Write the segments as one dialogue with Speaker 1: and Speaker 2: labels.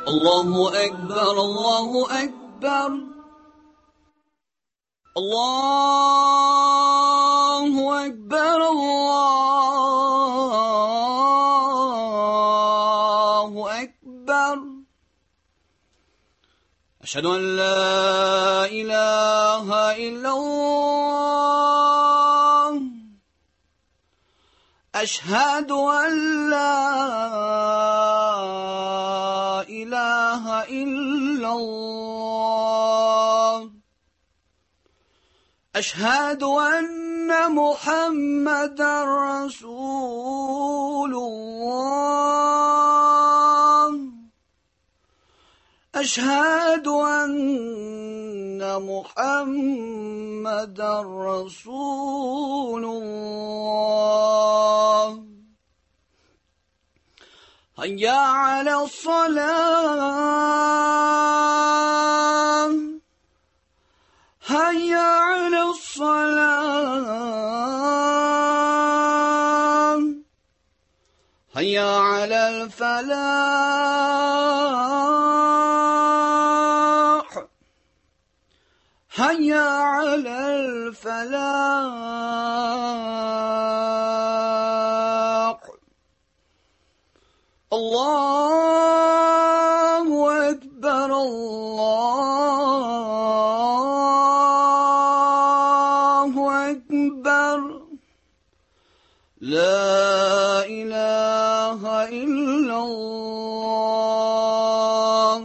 Speaker 1: Allahu Akbar, Allahu Akbar. Allahu Akbar, Allahu Akbar. أشهد أن لا إله إلا الله. أشهد أن لا إله إلا الله. أشهد أن محمدا رسول الله. أشهد أن محمدا رسول الله. هيا على الصلاة، هيا على الصلاة، هيا على الفلاح، هيا على الفلاح. الله أكبر، الله أكبر، لا إله إلا الله.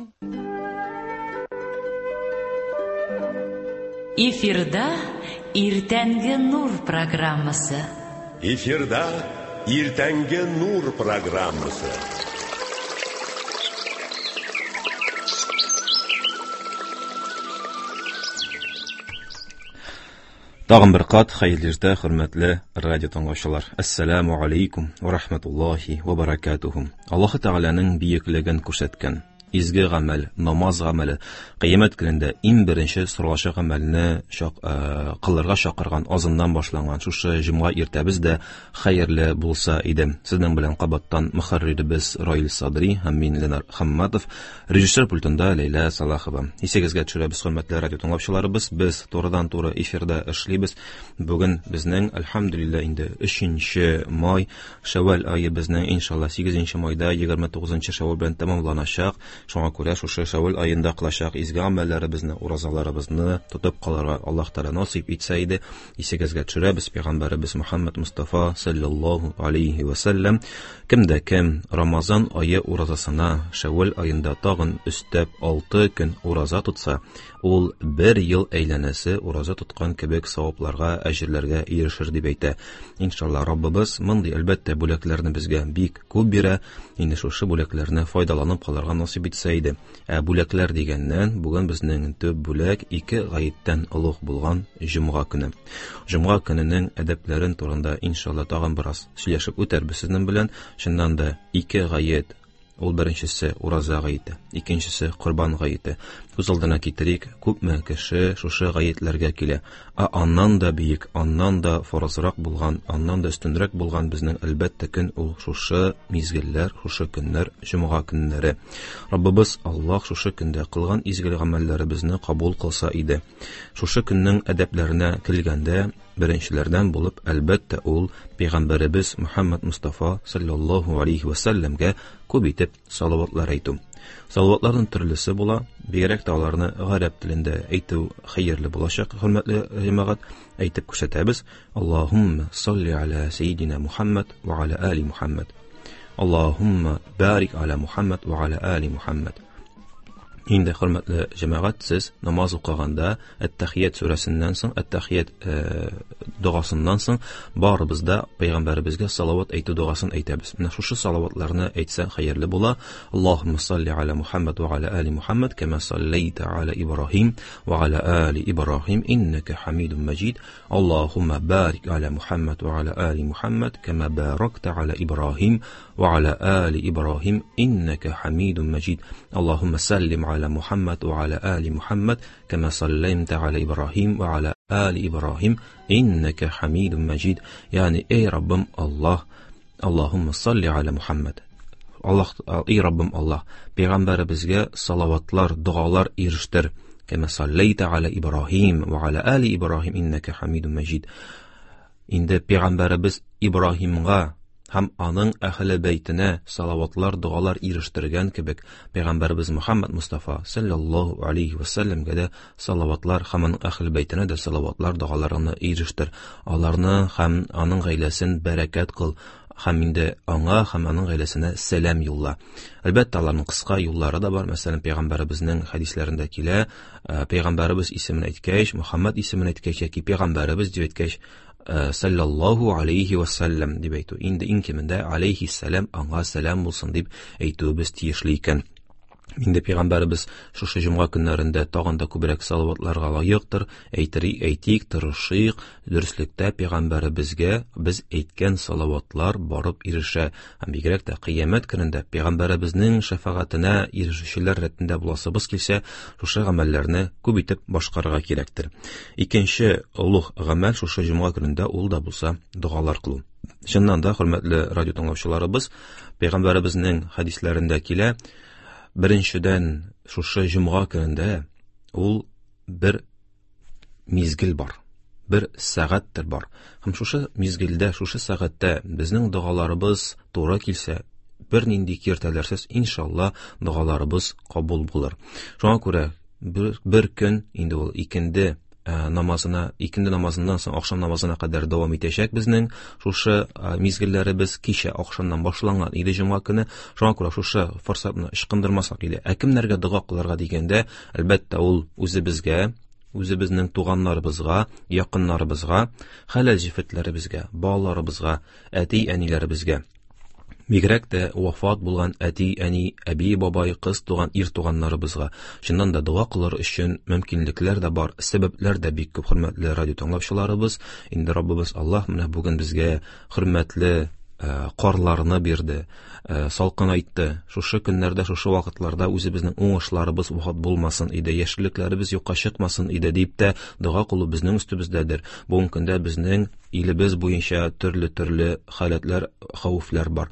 Speaker 2: Эфирда Иртәнге Нур программасы.
Speaker 3: Эфирда Иртәнге Нур программасы.
Speaker 4: Тагын бер кат хәерле иртә, хөрмәтле радио тыңлаучылар. Әссәламу алейкум ва рахматуллахи ва баракатуху. Аллаһы Тәгаләнең бөеклеген күрсәткән изге гамәл, намаз гамәле, кыямәт көнендә иң беренче соралачак гамәлне кылырга чакырган азыннан башланган шушы җомга иртәбез дә хәерле булса иде. Сезнең белән кабаттан мөхәрриребез Раил Садри һәм мин Ленар Хамматов, режиссер пультында Ләйлә Салахова. Исегезгә төшерәбез, хөрмәтле радио тыңлаучыларыбыз, без турыдан-туры эфирда эшлибез. Бүген безнең, әлхәмдүлилләһ, инде 3 май, Шәвәл ае безнең иншалла 8 майда 29 Шәвәл белән тәмамланачак. Шуңа күрә шушы Шәвәл аенда кылачак изге гамәлләребезне, уразаларыбызны тотып калырга Аллаһ Тәгалә насыйп итсә иде. Исегезгә төшерәбез, пәйгамбәребез Мөхәммәд Мустафа саллаллаһу алейхи ва саллям кемдә кем Рамазан ае уразасына Шәвәл аенда тагын өстәп 6 көн ураза тотса, ул бер ел әйләнәсе ураза тоткан кебек савапларга, әҗерләргә ирешер дип әйтә. Иншалла, Раббыбыз мондый әлбәттә бүләкләрне безгә бик күп бирә. Инде шушы бүләкләрне файдаланып калырга насыйп итсә иде. Ә бүләкләр дигәннән, бүген безнең төп бүләк ике гаеттән олуг булган җомга көне. Җомга көненең әдәпләрен турында иншалла тагын бераз сөйләшеп үтәрбез сезнең белән. Чыннан да ике гает, ул беренчесе ураза гаете, икенчесе корбан гаете. Күз алдына китерик, күпме кеше шушы гаетләргә килә. Ә аннан да бөек, аннан да фарызрак булган, аннан да өстенрәк булган безнең әлбәттә көн ул шушы мизгелләр, шушы көннәр, җомга көннәре. Раббыбыз Аллаһ шушы көндә кылган изге гамәлләребезне кабул кылса иде. Шушы көннең әдәпләренә килгәндә, беренчеләрдән булып әлбәттә ул пәйгамбәребез Мөхәммәд Мустафа саллаллаһу алейхи ва сәлләмгә күп итеп салаватлар әйтү. Салаватларның төрлесе була, бигрәк тә аларны гарәп телендә әйтү хәерле булачак, хөрмәтле җәмәгать, әйтеп күрсәтәбез. Аллаһумма салли аля саййидина Мухаммад ва аля али Мухаммад. Аллаһумма барик аля Мухаммад ва аля али Мухаммад. Инде хөрмәтле җәмәгать, сез намаз укыганда Әт-Тәхият сүрәсеннән соң, Әт-Тәхият догасыннан соң барыбыз да пәйгамбәребезгә салават әйтү догасын әйтәбез. Менә шушы салаватларны әйтсәң хәерле була. Аллаһумма салли аля Мухаммад ва аля али Мухаммад кама саллайта аля Ибраһим ва аля али Ибраһим иннака Хамидум Маҗид. Аллаһумма барик аля Мухаммад ва аля али Мухаммад кама баракта аля Ибраһим ва аля али Ибраһим иннака Хамидум Маҗид. Аллаһумма саллим аля Мухаммад ва аля али Мухаммад кама саллайта аля Ибраһим ва аля али Ибраһим иннака Хамидум Маҗид. Ягъни, эй Раббым Аллаһ, Аллаһумма салли аля Мухаммад. Аллаһ, эй Раббым Аллаһ, пәйгамбәребезгә салаватлар, догалар ирештер. Кәмә саллайта аля Ибраһим ва аля али Ибраһим иннәкә хамидум мәҗид. Инде пәйгамбәребез Ибраһимга һәм аның әһле бәйтенә салаватлар, догалар ирештергән кебек, пәйгамбәребез Мөхәммәд Мустафа саллаллаһу алейхи ва сәлләмгә дә салаватлар һәм аның әһле бәйтенә дә салаватлар, догаларны ирештер. Аларны һәм аның гаиләсен бәрәкәт кыл һәм инде аңа һәм аның гаиләсенә сәлам юлла. Әлбәттә, аларның кыска юллары да бар. Мәсәлән, пәйгамбәребезнең хәдисләрендә килә, пәйгамбәребез исемен әйткәч, Мөхәммәд исемен әйткәч яки пәйгамбәребез дип әйткәч, саллаллаһу алейхи ва саллям дип әйтү. Инде иң кимендә алейхиссалам, аңа сәлам булсын дип әйтүебез тиешле икән. Инде пәйгамбәребез шушы җомга көннәрендә тагын да күбрәк салаватларга лаектыр. Әйтери, әйтик, тырышыйк. Дөреслектә пәйгамбәребезгә без әйткән салаватлар барып ирешә. Һәм бигрәк тә кыямәт көнендә пәйгамбәребезнең шәфәгатенә ирешүчеләр рәтендә буласыбыз килсә, шушы гамәлләрне күп итеп башкарырга кирәктер. Икенче олуг гамәл шушы җомга көнендә ул да булса догалар кылу. Чыннан да, хөрмәтле радио тыңлаучыларыбыз, пәйгамбәребезнең хәдисләрендә килә, беренчедән, шушы җомга көнендә ул бер мизгел бар, бер сәгатьтер бар. Һәм шушы мизгелдә, шушы сәгатьтә безнең догаларыбыз туры килсә, бернинди киртәләрсез, иншалла, догаларыбыз кабул булыр. Шуңа күрә бер көн инде ул икенде намазына, икенде намазыннан соң ахшам намазына кадәр дәвам итәчәк безнең шушы мизгелләребез кичә ахшамнан башланган иде җомга көне. Шуңа күрә шушы форсатны ычкындырмасак иде. Ә кемнәргә дога кылырга дигәндә, әлбәттә, ул үзебезгә, үзебезнең туганнарыбызга, якыннарыбызга, хәләл җефетләребезгә, балаларыбызга, әти-әниләребезгә. Бигрәк тә вафат булган әти-әни, әби-бабай, кыз туган, ир туганнарыбызга. Чыннан да дога кылыр өчен мөмкинлекләр дә бар, сәбәпләр дә бик күп, хөрмәтле радио тыңлаучыларыбыз. Инде Раббыбыз Аллаһ менә бүген безгә хөрмәтле карларны бирде, салкынайтты. Шушы көннәрдә, шушы вакытларда үзебезнең уңышларыбыз вафат булмасын иде, яшеллекләребез юкка чыкмасын иде дип тә дога кылу безнең өстебездәдер. Бүгенге көндә безнең илебез буенча төрле-төрле халәтләр, хәвефләр бар.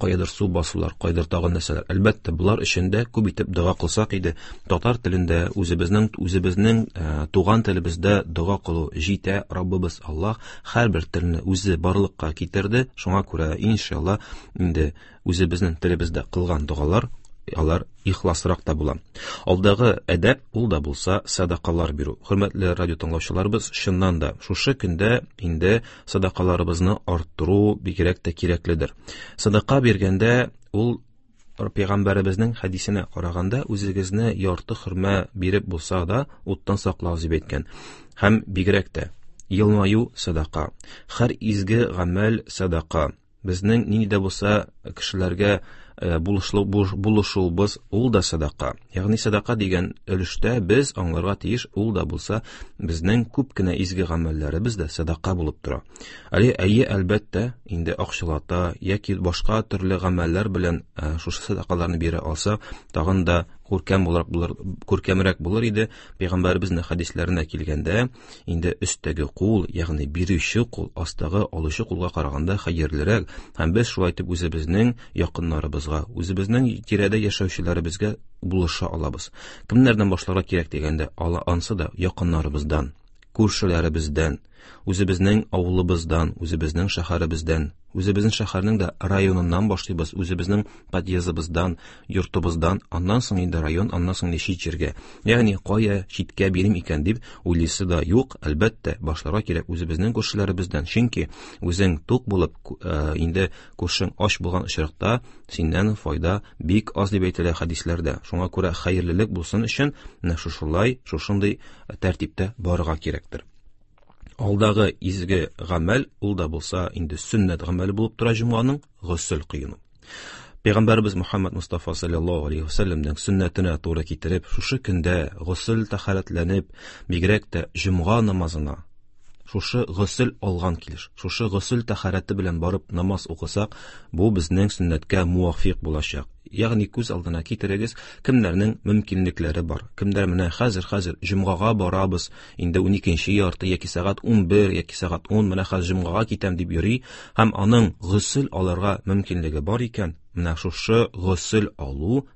Speaker 4: Каядыр су басулар, кайдыр тагын нәрсәләр. Әлбәттә, болар өчен дә күп итеп дога кылсак иде. Татар телендә үзебезнең туган телебездә дога кылу җитә. Раббыбыз Аллаһ һәрбер телне үзе барлыкка китерде. Шуңа күрә, иншалла, инде үзебезнең телебездә кылган догалар алар ихласрак та була. Алдагы әдәп ул да булса садакалар бирү. Хөрмәтле радио тыңлаучыларыбыз, чыннан да шушы көндә инде садакаларыбызны арттыру бигрәк тә кирәкледер. Садака биргәндә ул пәйгамбәребезнең хәдисенә караганда үзегезне ярты хөрмә биреп булса да уттан саклагыз дип әйткән. Һәм бигрәк тә елмаю садака, һәр изге гамәл садака. Безнең нинди дә булса кешеләргә булышуыбыз ул да садака. Ягъни садака дигән өлештә без аңларга тиеш, ул да булса безнең күп кенә изге гамәлләребез дә садака булып тора. Әле әйе, әлбәттә, инде акчалата яки башка төрле гамәлләр белән шушы садакаларны бирә алса, тагын да күркәм буларак булыр, күркәмрәк булыр иде. Пәйгамбәребезнең хәдисләренә килгәндә, инде өстәге кул, ягъни бирүче кул, астагы алучы кулга караганда хәерлерәк. Һәм без шулай итеп үзебезнең якыннарыбызга, үзебезнең тирәдә яшәүчеләребезгә булыша алабыз. Кемнәрдән башларга кирәк дигәндә, ансы да якыннарыбыздан, күршеләребездән, үзебезнең авылыбыздан, үзебезнең шәһәребездән, үзебезнең шәһәрнең дә районыннан башлыйбыз, үзебезнең подъездыбыздан, йортыбыздан, аннан соң инде район, аннан соң инде чит җиргә. Ягъни кая читкә бирим икән дип уйлыйсы да юк, әлбәттә, башларга кирәк үзебезнең күршеләребездән. Чөнки үзең тук булып, инде күршең ач булган очракта синнән файда бик аз дип әйтелә хәдисләрдә. Шуңа күрә хәерлелек булсын өчен менә шушылай, шушындый тәртиптә барырга кирәктер. Алдагы изге гамәл, ул да булса инде сөннәт гамәле булып тора җомганың госел кыйну. Пәйгамбәребез Мухаммад Мустафа саллаллаһу алейхи ва сәлләмнең сөннәтенә туры китереп, шушы көндә госел тәһарәтләнеп, бигрәк тә җомга намазына шушы госел алган килеш, шушы госел тәһарәте белән барып намаз укысак, бу безнең сөннәткә муафиқ булачак. Ягъни күз алдына китерегез, кемнәрнең мөмкинлекләре бар. Кемнәр менә хәзер җомгага барабыз, инде уникенче ярты яки сәгать 11 яки сәгать 10 менә хәзер җомгага китәм дип йөри, һәм аның госел алырга мөмкинлеге бар икән, Менә шушы госел алу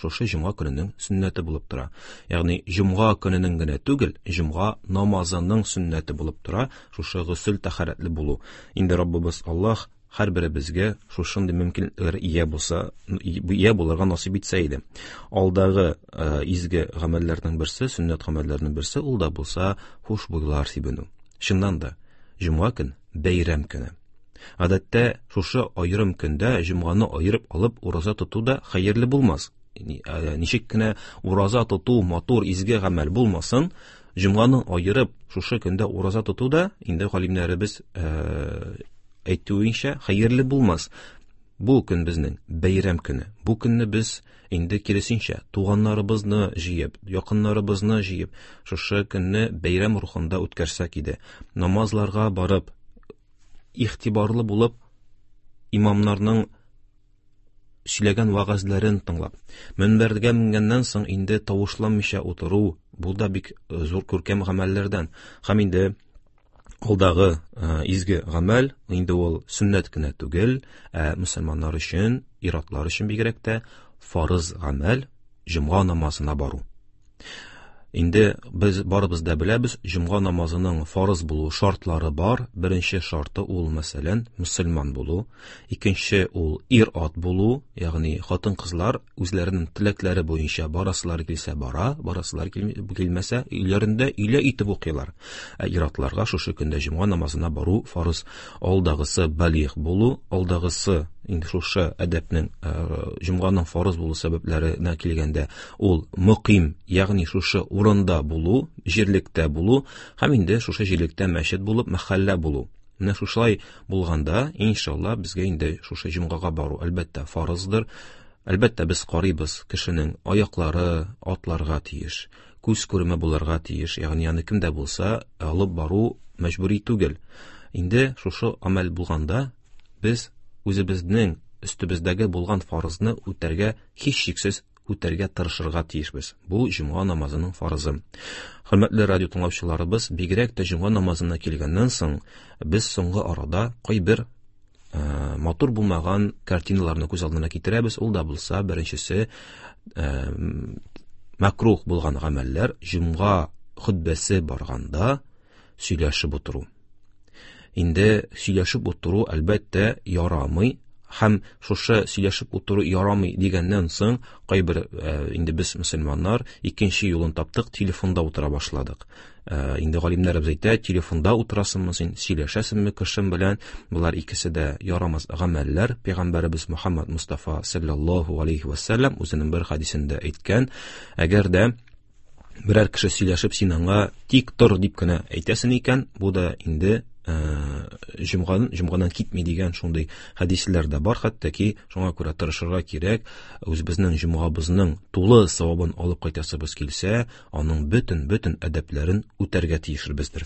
Speaker 4: шушы җомга көненең сөннәте булып тора. Ягъни җомга көненең генә түгел, җомга намазының сөннәте булып тора шушы госел тәһарәтле булу. Инде Раббыбыз Аллаһ һәрберебезгә шушындый мөмкинлекләр ия булса, ия булырга насыйп итсә иде. Алдагы э, изге гамәлләрнең берсе, сөннәт гамәлләренең берсе, ул да булса хушбуйлар сибенү. Чыннан да, җомга көн бәйрәм көне. Гадәттә, шушы аерым көндә җомганы аерып алып ураза тоту да хәерле булмас. Э, ничек кенә ураза тоту матур изге гамәл булмасын, җомганы аерып шушы көндә ураза тоту да инде галимнәребез э, әйтүенчә хәерле булмас. Бу көн безнең бәйрәм көне. Бу көнне без инде киресенчә туганнарыбызны җыеп, якыннарыбызны җыеп, шушы көнне бәйрәм рухында үткәрсәк иде. Намазларга барып, игътибарлы булып, имамнарның сөйләгән вәгазьләрен тыңлап, мөнбәргә менгәннән соң инде тавышланмыйча утыру, бу да бик э, зур күркәм гамәлләрдән. Һәм инде алдагы э, изге гамәл, инде ул сөннәт кенә түгел, ә мөселманнар өчен, ир-атлар өчен бигрәк тә фарыз гамәл, җомга намазына бару. Инде без барыбыз да беләбез, җомга намазының фарыз булу шартлары бар. Беренче шарты ул, мәсәлән, мөселман булу. Икенче ул ир-ат булу, ягъни хатын-кызлар үзләренең теләкләре буенча барасылары килсә бара, барасылары килмәсә, өйләрендә өйлә итеп укыйлар. Ә ир-атларга шушы көндә җомга намазына бару фарыз. Алдагысы балигъ булу, алдагысы инде шушы әдәпнең э, җомганың фарыз булу сәбәпләренә килгәндә, ул мөким, ягъни шушы урында булу, җирлектә булу һәм инде шушы җирлектә мәчет булып, мәхәллә булу. Менә шушылай булганда, иншалла, безгә инде шушы җомгага бару әлбәттә фарыздыр. Әлбәттә, без карыйбыз, кешенең аяклары атларга тиеш, күз күреме булырга тиеш, ягъни аны кем дә булса алып бару мәҗбүри түгел. Инде шушы амәл булганда, без үзебезнең өстебездәге булган фарызны үтәргә һичшиксез үтәргә тырышырга тиешбез. Бу җомга намазының фарызы. Хөрмәтле радио тыңлаучыларыбыз, бигрәк тә җомга намазына килгәннән соң, без соңгы арада кайбер э, матур булмаган картиналарны күз алдына китерәбез. Ул да булса, беренчесе э, мәкрух булган гамәлләр, җомга хөтбәсе барганда сөйләшеп утыру. Инде сөйләшеп утыру, әлбәттә, ярамый. Һәм шушы сөйләшеп утыру ярамый дигәннән соң, кайбер э, инде без мөселманнар икенче юлын таптык, телефонда утыра башладык. Э, инде галимнәребез әйтә, телефонда утырасыңмы син, сөйләшәсеңме кешем белән? Болар икесе дә ярамас гамәлләр. Пәйгамбәребез Мухаммад Мустафа саллаллаһу алейхи ва саллям үзенең бер хадисендә әйткән, әгәр дә берәр кеше сөйләшеп син аңа тик тор дип кенә әйтәсең икән, бу да инде э, җомгадан җомгадан китми дигән шундый хәдисләр дә бар хәтта ки, шуңа күрә тырышырга кирәк, үзебезнең җомгабызның тулы савабын алып кайтасыбыз килсә, аның бөтен-бөтен әдәпләрен үтәргә тиешбездер.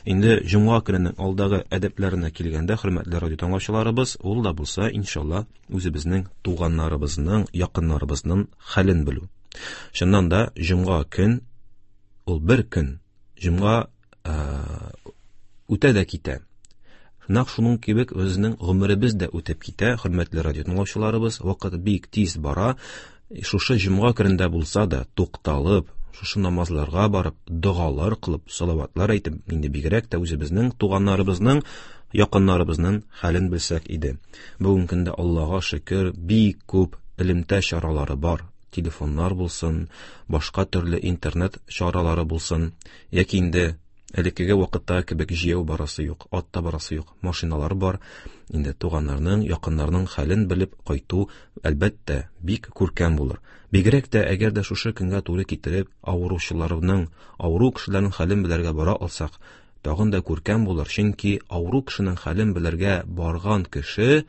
Speaker 4: Инде җомга көненең алдагы әдәпләренә килгәндә, хөрмәтле радио тыңлаучыларыбыз, ул да булса, иншалла, үзебезнең туганнарыбызның, якыннарыбызның хәлен белү. Чыннан да, җомга көн ул бер көн. Җомга э, үтә дә китә. Нәкъ шуның кебек безнең гомеребез дә үтеп китә, хөрмәтле радио тыңлаучыларыбыз, вакыт бик тиз бара. Шушы җомга көнендә булса да, тукталып, шушы намазларга барып, догалар кылып, салаватлар әйтеп, инде бигрәк тә үзебезнең туганнарыбызның, якыннарыбызның хәлен белсәк иде. Бүгенге көндә Аллага шөкер, бик күп элемтә чаралары бар. Телефоннар булсын, башка төрле интернет чаралары булсын, яки инде элеккеге вакытта кебек җәяү барасы юк, атта барасы юк, машиналар бар. Инде туганнарның, якыннарның хәлен белеп кайту, әлбәттә, бик күркәм булыр. Бигрәк тә әгәр дә шушы көнгә туры китереп, авыручыларның, авыру кешеләрнең хәлен белергә бара алсак, тагын да күркәм булыр, чөнки авыру кешенең хәлен белергә барган кеше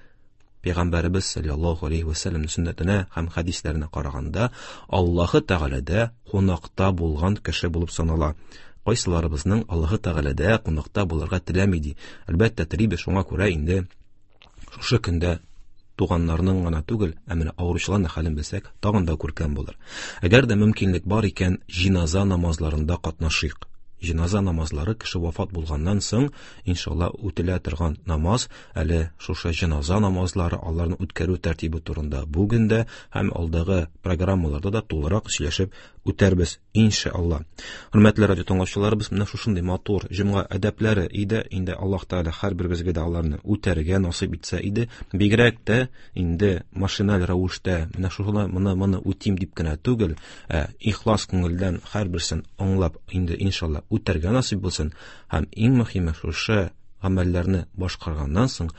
Speaker 4: Пәйгамбәребез саллаллаһу алейхи ва сәлләмнең сөннәтенә һәм хәдисләренә караганда, Аллаһы Тәгаләдә кунакта булган кеше булып санала. Кайсыларыбызның Аллаһы Тәгаләдә кунакта булырга теләми ди. Әлбәттә, телибез, шуңа күрә инде шушы көндә туганнарның гына түгел, ә менә авыручыларның хәлен белсәк, тагын да күркәм булыр. Әгәр дә мөмкинлек бар икән, җиназа намазларында катнашыйк. Җеназа намазлары кеше вафат булганнан соң, иншалла, үтелә торган намаз, әле шушы җеназа намазлары, аларны үткәрү тәртибе турында бүген дә һәм алдагы программаларда да тулырак сөйләшеп үтәрбез, иншалла. Хөрмәтле радио тыңлаучыларыбыз, менә шушындый матур җомга әдәпләре иде. Инде Аллаһ Тәгалә һәрберебезгә дә аларны үтәргә насыйп итсә иде. Бигрәк тә инде машиналь рәвештә менә шуны, моны үтим дип кенә түгел, ә ихлас күңелдән һәрберсен аңлап инде иншалла үтәргә насыйп булсын. Һәм иң мөһиме, шушы гамәлләрне башкарганнан соң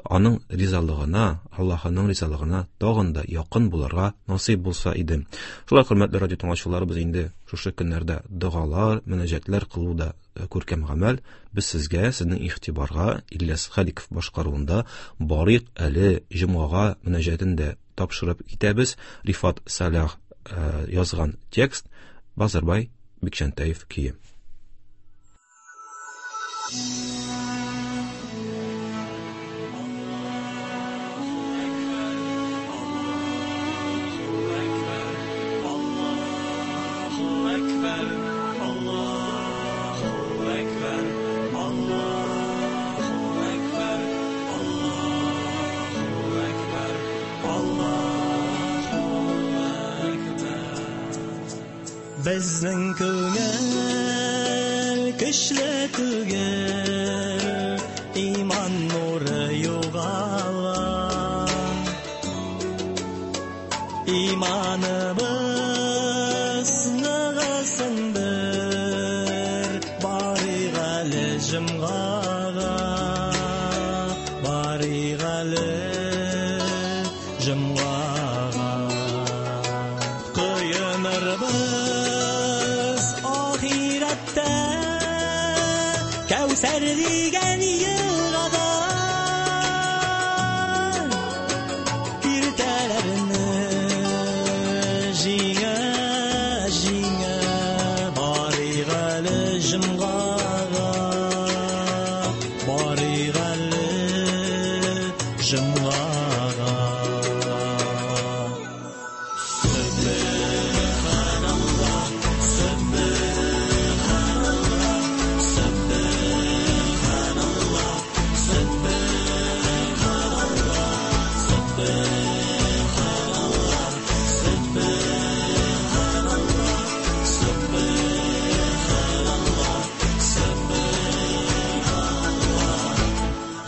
Speaker 4: аның ризалыгына, Аллаһының ризалыгына тагын да якын булырга насыйп булса иде. Шулай, хөрмәтле радио тыңлаучыларыбыз, инде шушы көннәрдә догалар, мөнәҗәтләр кылу да күркәм гамәл. Без сезгә, сезнең игътибарга Ильяс Халиков башкаруында Барыйк әле җомгага мөнәҗәтен дә тапшырып китәбез. Рифат Салах язган текст, Базарбай Бикчәнтәев көе.
Speaker 5: Безнең күңел көчле түгел, иман нуры югала. Иманыбыз ныгысын бер, барыйк әле җомгага, барыйк әле җомгага. Коенырбыз ахирәттә, Кәүсәр дигән елгада. Киртәләрне җиңә, җиңә, барыйк әле җомгага, барыйк әле җомгага.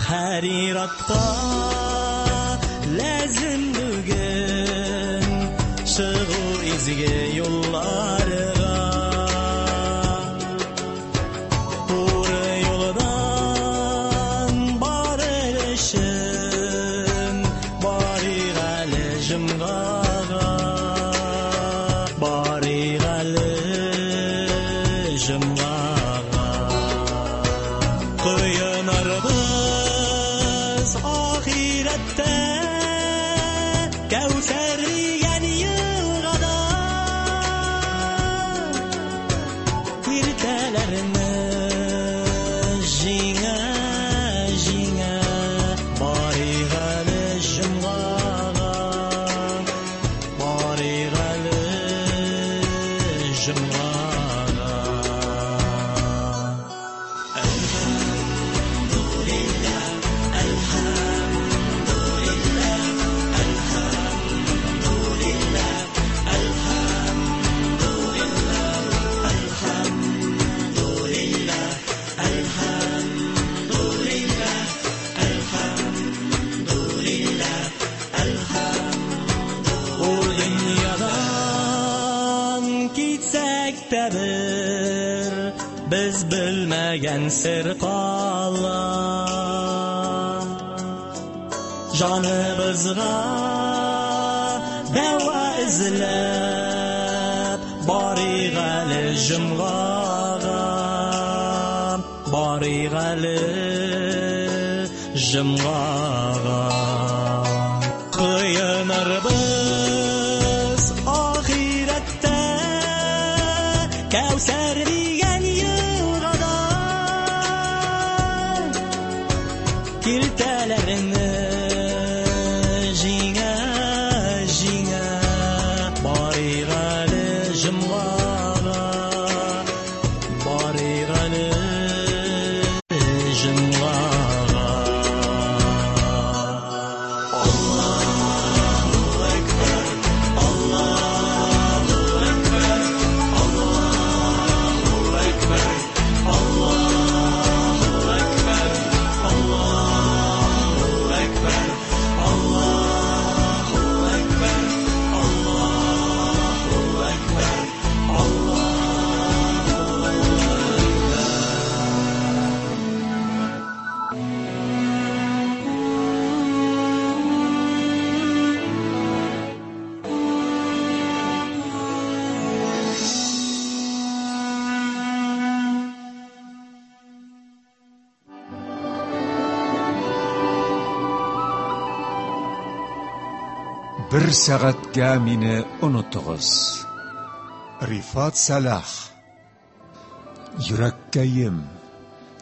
Speaker 5: Һәр ир-атка ләзем бүген чыгу изге юлларга. Туры юлдан барыр өчен барыйк әле җомгага, барыйк әле җомгага. Коенырбыз ахирәттә, Кәүсәр дигән елгада. Киртәләрне җиңә, җиңә, барыйк әле җомгага, барыйк әле җомгага. Ул дөньядан китсәк тә бер, без белмәгән сер кала. Җаныбызга дәва эзләп, барыйк әле җомгага, барыйк әле җомгага. Коенырбыз ахирәттә, Кәүсәр дигән елгада. Киртәләрне җиңә, җиңә, барыйк әле җомгага, барыйк
Speaker 6: Бер сәгатькә мине онытыгыз. Рифат Сәлах. Йөрәккәем,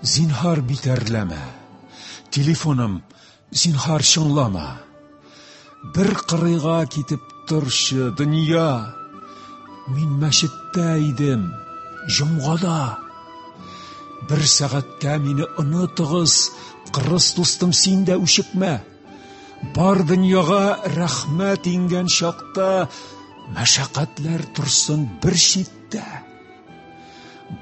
Speaker 6: зинһар битәрләмә. Телефоным, зинһар чыңлама. Бер кырыйга китеп торчы, дөнья. Мин мәчеттә идем, җомгада. Бер сәгатькә мине онытыгыз, кырыс дустым, син дә үчекмә. Бар дөньяга рәхмәт иңгән чакта, мәшәкатьләр торсын бер читтә.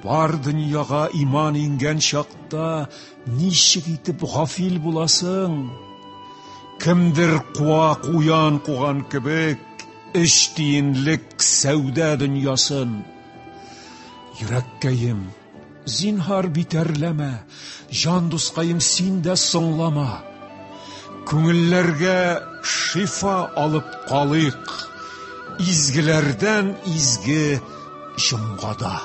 Speaker 6: Бар дөньяга иман иңгән чакта, ничек итеп гафил буласың? Кемдер куа куян куган кебек, өч тиенлек сәүдә дөньясын. Йөрәккәем, зинһар битәрләмә, җан дускаем, син дә соңлама. Күңелләргә шифа алып калыйк, изгеләрдән изге җомгада.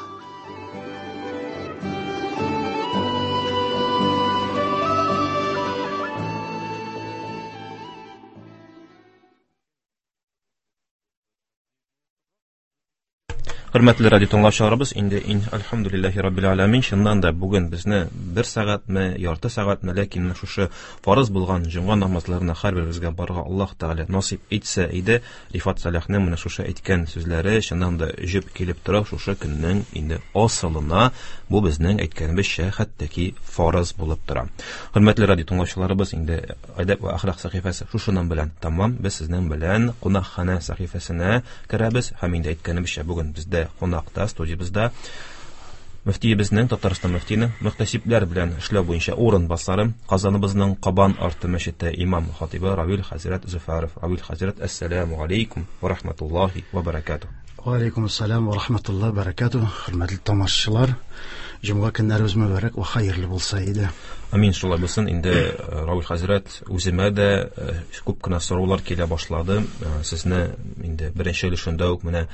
Speaker 4: Хөрмәтле радио тыңлаучыларыбыз, инде ин әлхәмдүлилләһи раббил аламин, чыннан да бүген безне бер сәгатьме, ярты сәгатьме, ләкин шушы фарыз булган җомга намазларына һәрберебезгә барырга Аллаһ Тәгалә насыйп итсә иде. Рифат Саляхның менә шушы әйткән сүзләре чыннан да җөп килеп тора шушы көннең инде асылына. Бу безнең әйткәнебезчә хәтта ки фарыз булып тора. Хөрмәтле радио тыңлаучыларыбыз, инде Әдәп вә әхлак сәхифәсе шушының белән тәмам. Без сезнең белән кунакханә сәхифәсенә керәбез һәм инде әйткәнебезчә бүген бездә кунакта студиябездә мөфтиебезнең, Татарстан мөфтиенең мөхтәсибләр белән эшләү буенча урынбасары, Казаныбызның Кабан арты мәчете имам хатибы Равил хәзрәт Зөфәров. Равил хәзрәт, әссәламу алейкум ва рахматуллахи ва баракатуһ.
Speaker 7: Ва алейкум ассалам ва рахматуллахи ва баракатуһ. Хөрмәтле тамашачылар, җомга көннәребез мөбарәк ва хәерле булса иде.
Speaker 4: Амин, шулай булсын. Инде Равил хәзрәт, үземә дә күп кенә сораулар килә башлады. Сезне инде беренче өлешендә үк менә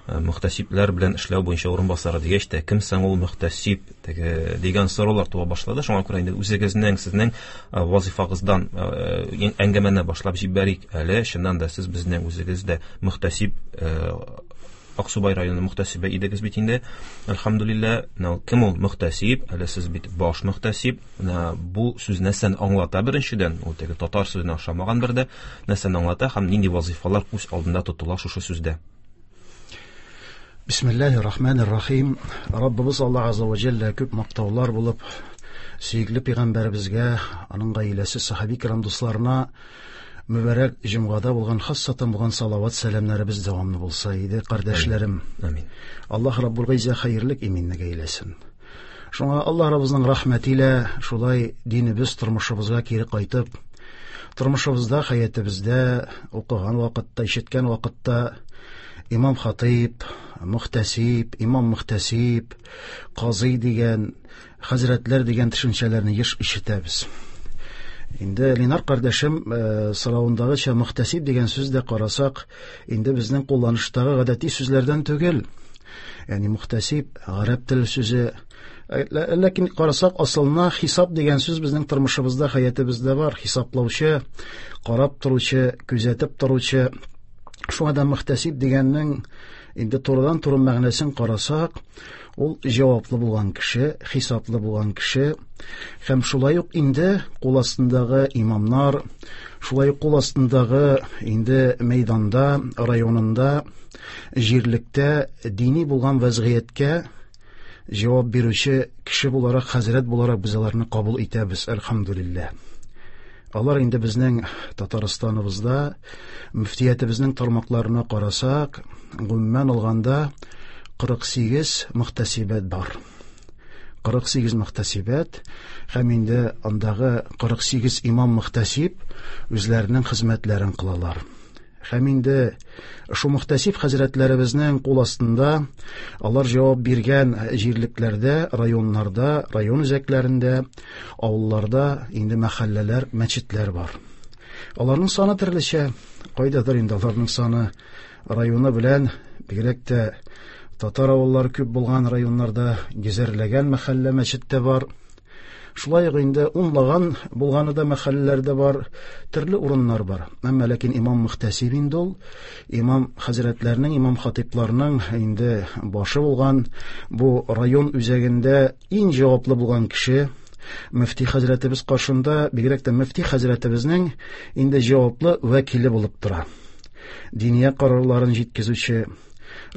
Speaker 4: мөхтәсибләр белән эшләү буенча урынбасары дигәч тә, кем соң ул мөхтәсиб теге дигән сораулар туа башлады. Шуңа күрә инде үзегезнең, сезнең вазифагыздан әңгәмәне башлап җибәрик әле. Чыннан да сез безнең үзегез дә мөхтәсиб, Аксубай районы мөхтәсибе идегез бит инде. Әлхәмдүлилләһ. Менә кем ул мөхтәсиб? Әле сез бит баш мөхтәсиб. Менә бу сүз нәрсәне аңлата беренчедән? Ул теге татар сүзенә охшамаган бер дә. Нәрсәне аңлата һәм нинди вазифалар күз алдында тотыла шушы сүздә?
Speaker 7: Бисмиллаһир рахманир рахим. Раббыбыз Аллаһ азза ва җәллә күп мактаулар булып, сөекле пәйгамбәребезгә, аның гаиләсе, сахаби кирам дусларына мөбарәк җомгада булган хассатан булган салават сәламнәребез дәвамлы булса иде, кардәшләрем.
Speaker 4: Амин.
Speaker 7: Аллаһ Раббул Гыйззә хәерлек иминлек әйләсен. Шуңа Аллаһ Раббыбызның рәхмәте илә шулай динебез тормышыбызга кире кайтып, тормышыбызда, хәятебездә укыган вакытта, ишеткән вакытта имам хатыйб, мөхтәсиб, имам мөхтәсиб, казый дигән, хәзрәтләр дигән төшенчәләрне еш ишетәбез. Инде Ленар кардәшем соравындагыча мөхтәсиб дигән сүз дә карасак, инде безнең кулланыштагы гадәти сүзләрдән түгел. Ягъни мөхтәсиб гарәп теле сүзе. Ләкин карасак, асылына хисап дигән сүз безнең тормышыбызда, хәятебездә бар. Хисаплаучы, карап торучы, күзәтеп торучы. Шуңа да мөхтәсиб дигәннең инде турыдан-туры мәгънәсен карасак, ул җаваплы булган кеше, хисаплы булган кеше. Һәм шулай ук инде кул астындагы имамнар, шулай ук кул астындагы инде мәйданда, районында, җирлектә дини булган вәзгыятькә җавап бирүче кеше буларак, хәзрәт буларак без аларны кабул итәбез, әлхәмдүлилләһ. Алар инде безнең Татарстаныбызда мөфтиятебезнең тармакларына карасак, гомумән алганда 48 мөхтәсибәт бар. 48 мөхтәсибәт һәм инде андагы 48 имам мөхтәсиб үзләренең хезмәтләрен кылалар. Һәм инде шу мөхтәсиб хәзрәтләребезнең кул астында алар җавап биргән җирлекләрдә, районнарда, район үзәкләрендә, авылларда инде мәхәлләләр, мәчетләр бар. Аларның саны төрлечә, кайдадыр инде аларның саны районы белән, бигрәк тә татар авыллары күп булган районнарда йөзәрләгән мәхәллә мәчет тә бар. Шулай ук инде унлаган булганы да мәхәлләләрдә бар, төрле урыннар бар. Әмма ләкин имам мөхтәсиб инде ул, имам хәзрәтләрнең, имам хатипларның инде башы булган, бу район үзәгендә иң җаваплы булган кеше, мөфти хәзрәтебез каршында, бигрәк тә мөфти хәзрәтебезнең инде җаваплы вәкиле булып тора. Диния карарларын җиткезүче,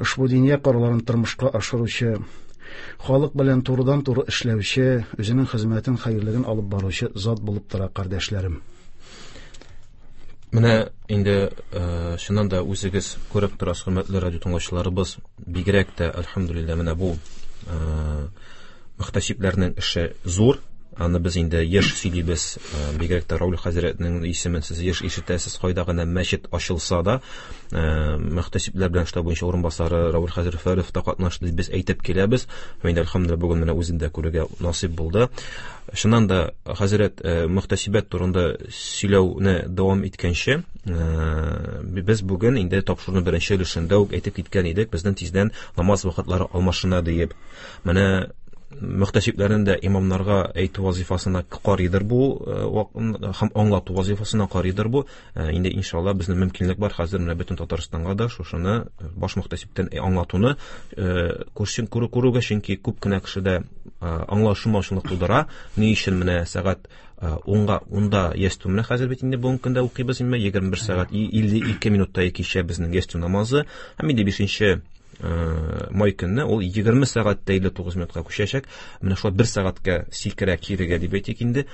Speaker 7: ошбу диния карарларын тормышка ашыручы, халык белән турыдан-туры эшләүче, үзенең хезмәтен, хәерлеген алып баручы зат булып тора, кардәшләрем.
Speaker 4: Менә инде чыннан да үзегез күреп торасыз, хөрмәтле радио тыңлаучыларыбыз, бигрәк тә, әлхәмдүлилләһ, менә бу мөхтәсибләрнең эше зур. Аны без инде еш сөйлибез, бигрәк тә Рауль хәзрәтнең исемен сез еш ишетәсез, кайда гына мәчет ачылса да, мөхтәсибләр белән эшләү буенча урынбасары Рауль хәзрәт Фәров та катнашты дип без әйтеп киләбез. Һәм инде әлхәмдүлилләһ бүген менә үзен дә күрергә насыйп булды. Чыннан да хәзрәт мөхтәсибәт турында сөйләүне дәвам иткәнче, без бүген инде тапшыруның беренче өлешендә үк әйтеп киткән идек, безнең тиздән намаз вакытлары алмашына диеп. Менә мөхтәсибләрнең дә имамнарга әйтү вазифасына карыйдыр бу, һәм аңлату вазифасына карыйдыр бу. Инде иншалла безнең мөмкинлек бар хәзер менә бөтен Татарстанга да шушыны баш мөхтәсибтән аңлатуны күрүгә, чөнки күп кенә кешедә аңлашылмаучылык тудыра. Ни өчен менә сәгать унда ястү менә хәзер бит инде бүгенге көндә укыйбыз инде 21 сәгать 52 минутта кичә безнең ястү намазы, һәм инде 5 май көнне ул 20 сәгать 59 минутка күчәчәк. Менә шулай бер сәгатькә сикерә кирегә дип әйтик инде.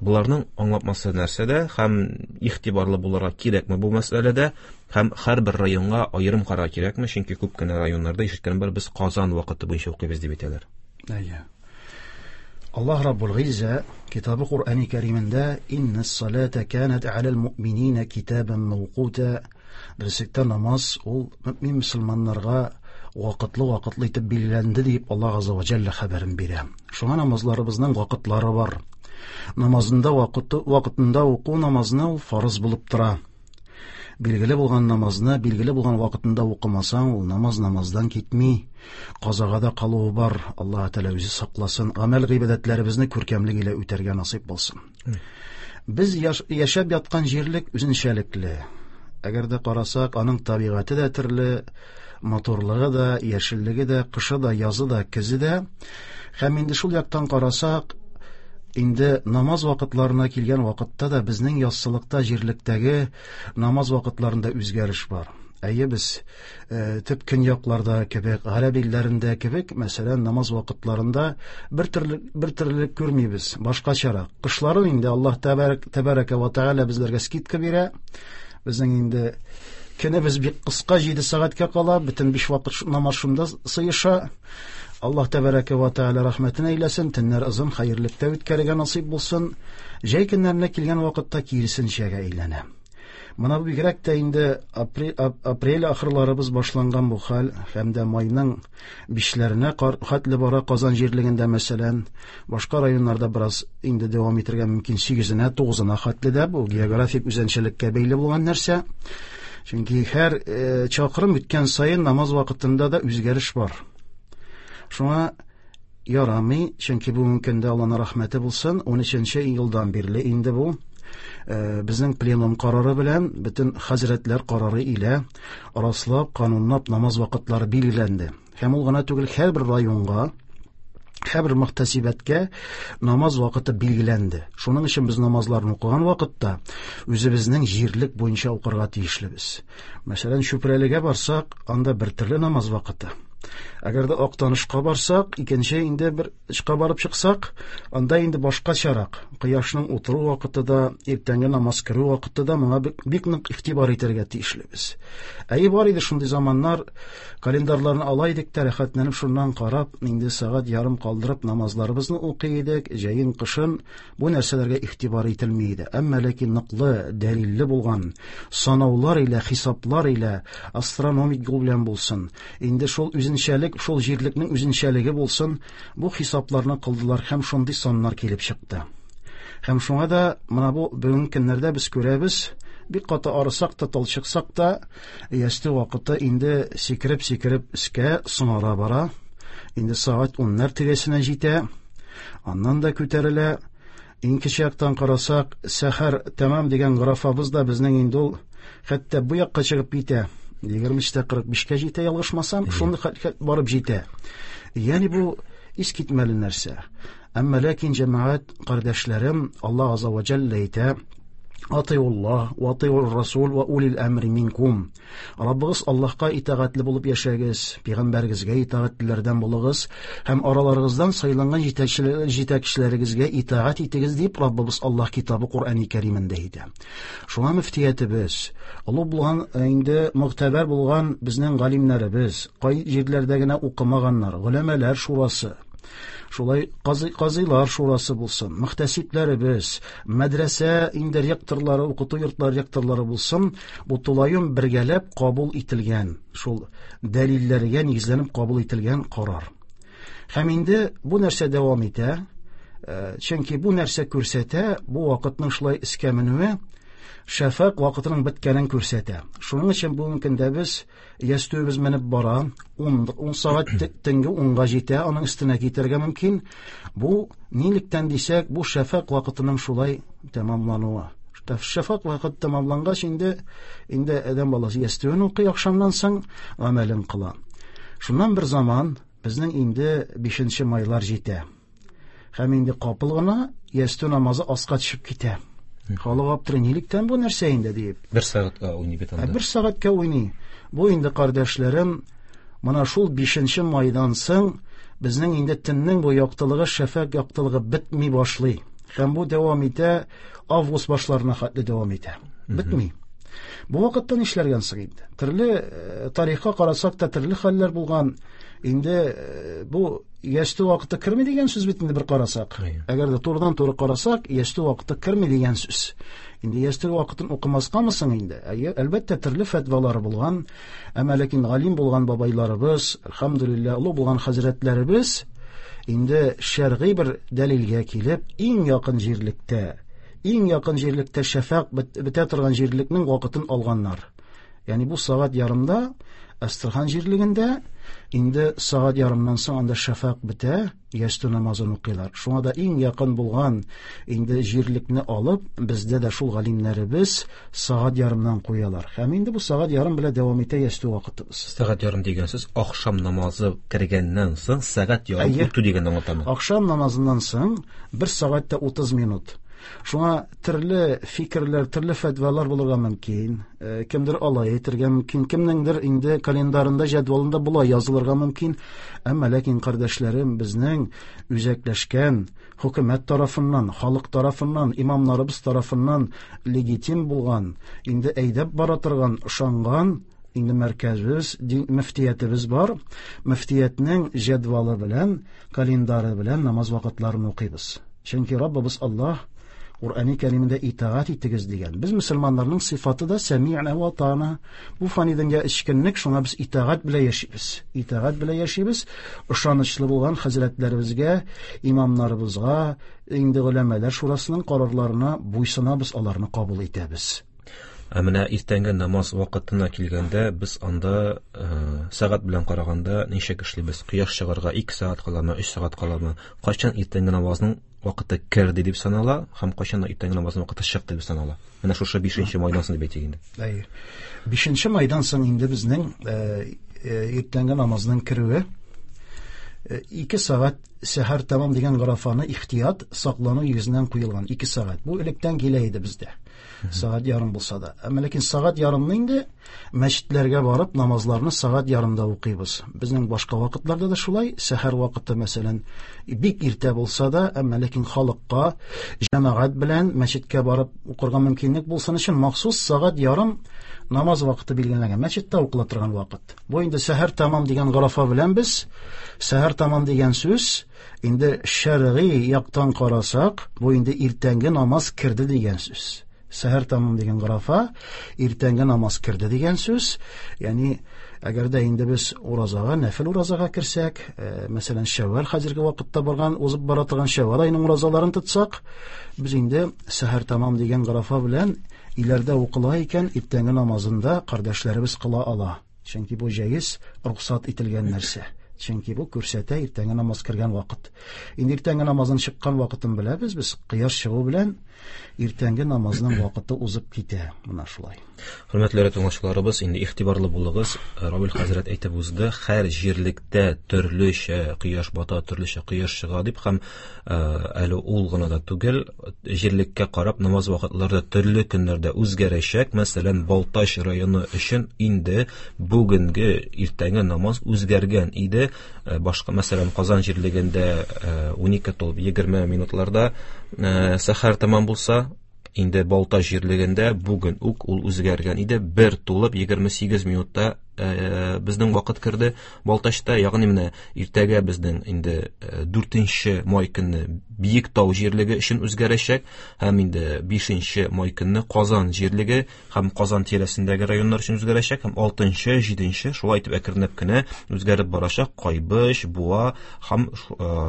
Speaker 4: Буларның аңлатмасы нәрсәдә һәм игътибарлы булырга кирәкме бу мәсьәләдә, һәм һәрбер районга аерым карарга кирәкме, чөнки күп кенә районнарда ишеткән бар, без Казан вакыты буенча укыйбыз дип әйтәләр.
Speaker 7: Әйе. Аллаһ Раббул Гыйззә Китабы Куръани Кәримендә иннас салата канат алал муъминина китабан мавкута. Дөреслектә намаз ул мөмин мөселманнарга вакытлы-вакытлы итеп билгеләнде дип Аллаһ Азза ва Җәллә хәбәрен бирә. Шуңа намазларыбызның вакытлары бар. Намазында вакытында уку намазны ул фарыз булып тора. Билгеле булган намазны билгеле булган вакытында укымасаң, ул намаз намаздан китми. Казага да калуы бар. Аллаһ Тәгалә үзе сакласын. Гамәл гыйбадәтләребезне күркәмлек илә үтәргә насыйп булсын. Без яшәп яткан җирлек үзенчәлекле. Әгәр дә карасак, аның табигате дә төрле, матурлыгы да, яшеллеге дә, кышы да, язы да, көзе дә. Һәм инде шул яктан карасак, инде намаз вакытларына килгән вакытта да безнең яссылыкта, җирлектәге намаз вакытларында үзгәреш бар. Әйе, без төп көньякларда кебек, гарәп илләрендә кебек, мәсәлән, намаз вакытларында бер төрлелек күрмибез, башкачарак. Кышларын инде Аллаһ тәбәрәкә ва тәгалә безләргә скидка бирә. Безнең инде көнебез бик кыска, 7 сәгатькә кала, бөтен 5 вакыт намаз шунда сыеша. Аллаһ тәбәрәкә ва тәгалә рәхмәтен әйләсен, төннәр озын, хәерлектә үткәрергә насыйп булсын. Җәй көннәренә килгән вакытта киресенчәгә әйләнә. Мына бу бигрәк тә инде апрель ахырларыбыз башланган бу хәл, һәм дә майның бишләренә хәтле бара Казан җирлегендә, мәсәлән, башка районнарда бераз инде дәвам итәргә мөмкин, сигезенә, тугызына хәтле дә, бу географик үзенчәлеккә бәйле булган нәрсә. Чөнки һәр чакрым үткән саен намаз вакытында да үзгәреш бар. Шуңа ярамый, чөнки бүгенге көндә Аллаһның рәхмәте булсын, унөченче елдан бирле инде бу безнең пленум карары белән, бөтен хәзрәтләр карары илә раслап, канунлап намаз вакытлары билгеләнде. Һәм ул гына түгел, һәрбер районга, һәрбер мөхтәсибәткә намаз вакыты билгеләнде. Шуның өчен без намазларны укыган вакытта үзебезнең җирлек буенча укырга тиешлебез. Мәсәлән, Чүпрәлегә барсак, анда бер төрле намаз вакыты. Әгәр дә Актанышка барсак, икенче инде бер очка барып чыксак, анда инде башкачарак. Кояшның утыру вакыты да, иртәнге намаз керү вакыты да моңа бик нык игътибар итәргә тиешлебез. Әйе, бар иде шундый заманнар, календарьларны ала идек тә, рәхәтләнеп шуннан карап, инде сәгать ярым калдырып намазларыбызны укый идек, җәен, кышын бу нәрсәләргә игътибар ителми иде. Әмма ләкин ныклы, дәлилле булган санаулар илә, хисаплар илә, астрономик юл белән булсын, инде шул үзенчәлек, шул җирлекнең үзенчәлеге булсын, бу хисапларны кылдылар һәм шундый саннар килеп чыкты. Һәм шуңа да менә бу бүгенге көннәрдә без күрәбез, бик каты арысак та, талчыксак та, ястү вакыты инде сикереп-сикереп өскә соңара бара. Инде сәгать уннар тирәсенә җитә. Аннан да күтәрелә. Иң кече яктан карасак, сәхәр тәмам дигән графабыз да безнең инде ул хәтта бу якка чыгып китә. 23:45-кә җитә, ялгышмасам, шундый хәлгә барып җитә. Ягъни бу искитмәле нәрсә. Әмма ләкин җәмәгать кардәшләрем, Аллаһ азза ва җәллә әйтә: Атыйуллаһ ва атыйур расул ва улил әмри минкум. Раббыгыз Аллаһка итагатьле булып яшәгез, пәйгамбәрегезгә итагатьлеләрдән булыгыз һәм араларыгыздан сайланган җитәкчеләрегезгә итагать итегез дип Раббыбыз Аллаһ китабы Коръәни Кәримендә әйтә. Шуңа мөфтиятебез, олы булган инде мөгътәбәр булган безнең галимнәребез, кай җирләрдә генә укымаганнар, голәмәләр шурасы, шулай казыйлар шурасы булсын, мөхтәсибләребез, мәдрәсә инде ректорлары, укыту йортлары ректорлары булсын, бу тулаем бергәләп кабул ителгән, шул дәлилләргә нигезләнеп кабул ителгән карар. Һәм инде бу нәрсә дәвам итә, чөнки бу нәрсә күрсәтә, бу вакытның шулай искә менүе шәфәкъ вакытының беткәнен күрсәтә. Шуның өчен бүгенге көндә без ястүебез менеп бара, 10 сәгать төнге 10-га җитә, аның өстенә китәргә мөмкин. Бу нилектән дисәк, бу шәфәкъ вакытының шулай тәмамлануы. Шәфәкъ вакыты тәмамлангач, инде адәм баласы ястүен укый, ахшамнан соң гамәлен кыла. Шуннан бер заман безнең инде 5 майлар җитә. Һәм инде капыл гына ястү намазы аска төшеп китә. Халык аптырый, нилектән бу нәрсә инде диеп.
Speaker 4: Бер сәгатькә уйный бит анда.
Speaker 7: Бер сәгатькә уйный. Бу инде, кардәшләрем, менә шул 5 майдан соң безнең инде төннең бу яктылыгы, шәфәкъ яктылыгы бетми башлый. Һәм бу дәвам итә, август башларына хәтле дәвам итә. Бетми. Бу вакытта нишләргә соң инде? Төрле тарихка карасак та төрле хәлләр булган. Инде бу ястү вакыты керми дигән сүз бит инде бер карасак. Әгәр дә турыдан-туры карасак, ястү вакыты керми дигән сүз. Инде ястү вакытын укымаскамы соң инде? Әйе, әлбәттә, төрле фәтвалары булган, әмма ләкин галим булган бабайларыбыз, әлхәмдүлилләһ, олы булган хәзрәтләребез инде шәргый бер дәлилгә килеп, иң якын җирлектә шәфәкъ бетә торган җирлекнең вакытын алганнар. Ягъни бу сәгать ярымда Әстерхан җирлегендә инде сәгать ярымнан соң анда шәфәкъ бетә, ястү намазын укыйлар. Шуңа да иң якын булган инде җирлекне алып, бездә дә шул галимнәребез сәгать ярымнан куялар. Һәм инде бу сәгать ярым белән дәвам итә ястү вакытыбыз.
Speaker 4: Сәгать ярым дигән сүз ахшам намазы кергәннән соң сәгать ярым үтү дигәнне аңлатамы?
Speaker 7: Ахшам намазыннан соң 1 сәгать тә 30 минут. Шуңа төрле фикерләр, төрле фәтвалар булырга мөмкин. Кемдер алай әйтергә мөмкин, кемнеңдер инде календарында, җәдвалында болай язылырга мөмкин. Әмма ләкин, кардәшләрем, безнең үзәкләшкән хөкүмәт тарафыннан, халык тарафыннан, имамнарыбыз тарафыннан легитим булган, инде әйдәп бара торган, ышанган инде мәркәзебез, мөфтиятебез бар. Мөфтиятнең җәдвалы белән, календары белән намаз вакытларын укыйбыз. Чөнки Раббыбыз Аллаһ Куръани Кәримендә итагать итегез дигән. Без мөселманнарның сыйфаты да сәми'на ва атана. Бу фани дөнья эчкенлек, шуңа без итагать белән яшибез. Итагать белән яшибез. Ышанычлы булган хәзрәтләребезгә, имамнарыбызга, инде голәмәләр шурасының карарларына буйсынабыз, аларны кабул итәбез.
Speaker 4: Ә менә иртәнге намаз вакытына килгәндә, без анда сәгать белән караганда ничек эшлибез? Кояш чыгарга 2 сәгать каламы, 3 сәгать каламы? Кайчан иртәнге намазның вакыты керде дип санала һәм кайчан иртәнге намазның вакыты чыкты дип санала? Менә шушы 5 майдан соң дип әйтик инде.
Speaker 7: Әйе. 5 майдан соң инде безнең иртәнге намазның керүе 2 сәгать сәхәр тәмам дигән графаны ихтият саклану йөзеннән куелган 2 сәгать. Бу электән килә иде бездә. Сәгать ярым булса да. Әмма ләкин сәгать ярымны инде мәчетләргә барып намазларны сәгать ярымда укыйбыз. Безнең башка вакытларда да шулай, сәхәр вакыты мәсәлән бик иртә булса да, әмма ләкин халыкка җәмәгать белән мәчеткә барып укырга мөмкинлек булсын өчен махсус сәгать ярым намаз вакыты билгеләнгән. Мәчеттә укыла торган вакыт. Бу инде сәхәр тәмам дигән гарафа белән без сәхәр тәмам дигән сүз инде шәргый яктан карасак, бу инде иртәнге намаз керде дигән сүз. Сәхәр тәмам дигән гарафа иртәнге намаз керде дигән сүз. Ягъни әгәр дә инде без уразага, нәфил уразага керсәк, мәсәлән, Шәввәл хәзерге вакытта барган, узып бара торган Шәввәл аеның уразаларын тотсак, без инде сәхәр тәмам дигән гарафа белән иләрдә укыла икән, иртәнге намазында кардәшләребез кыла ала. Чөнки бу җәез, рөхсәт ителгән нәрсә. Чөнки бу күрсәтә иртәнге намаз кергән вакыт. Инде иртәнге намазның чыккан вакытын беләбез без. Кояш чыгу белән иртәнге намазның вакыты узып китә. Менә шулай.
Speaker 4: Хөрмәтле тыңлаучыларыбыз, инде игътибарлы булыгыз. Равил хәзрәт әйтеп узды, һәр җирлектә төрлечә кояш бата, төрлечә кояш чыга дип һәм әле ул гына да түгел, җирлеккә карап намаз вакытлары да төрле көннәрдә үзгәрәчәк. Мәсәлән, Балтач районы өчен инде бүгенге иртәнге намаз үзгәргән иде. Башка, мәсәлән, Казан җирлегендә 12:20 минутларда сәхәр тәмам булса, инде Балтач җирлегендә бүген үк ул үзгәргән иде. 1:28 минутта безнең вакыт керде Балтачта, ягъни менә иртәгә безнең инде 4 май көнне Биектау җирлеге өчен үзгәрәчәк һәм инде 5 май көнне Казан җирлеге һәм Казан тирәсендәге районнар өчен үзгәрәчәк һәм 6, 7 шулай итеп әкренләп кенә үзгәреп барачак. Кайбыч, Буа һәм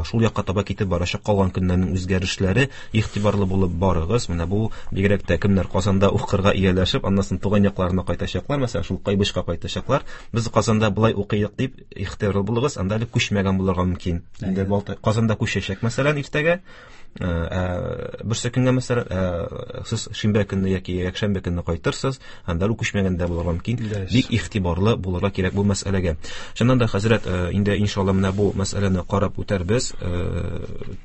Speaker 4: шул якка таба китеп барачак калган көннәрнең үзгәрешләре. Игътибарлы булып барыгыз. Менә бу бигрәк тә кемнәр Казанда укырга ияләшеп, аннан соң туган якларына кайтачаклар, мәсәлән, шул Кайбычка кайтачаклар. Без Казанда былай укыйк дип игътибарлы булыгыз, анда әле күчмәгән булырга мөмкин. Инде Казанда күчәчәк, мәсәлән, иртәгә, берсе көнгә, мәсәлән, сез шимбә көнне яки якшәмбе көнне кайтырсыз, анда әле күчмәгән дә булырга мөмкин. Бик игътибарлы булырга кирәк бу мәсьәләгә. Чыннан да, хәзрәт, инде иншалла менә бу мәсьәләне карап үтәрбез,